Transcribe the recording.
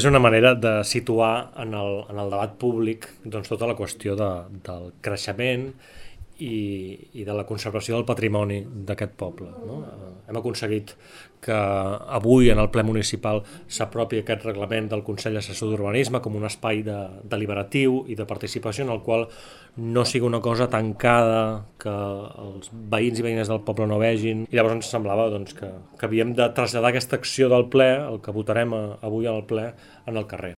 És una manera de situar en el debat públic doncs, tota la qüestió del creixement i de la conservació del patrimoni d'aquest poble. No? Hem aconseguit que avui en el ple municipal s'apropi aquest reglament del Consell Assessor d'Urbanisme com un espai deliberatiu i de participació en el qual no sigui una cosa tancada que els veïns i veïnes del poble no vegin, i llavors ens semblava doncs, que havíem de traslladar aquesta acció del ple, el que votarem avui al ple, en el carrer.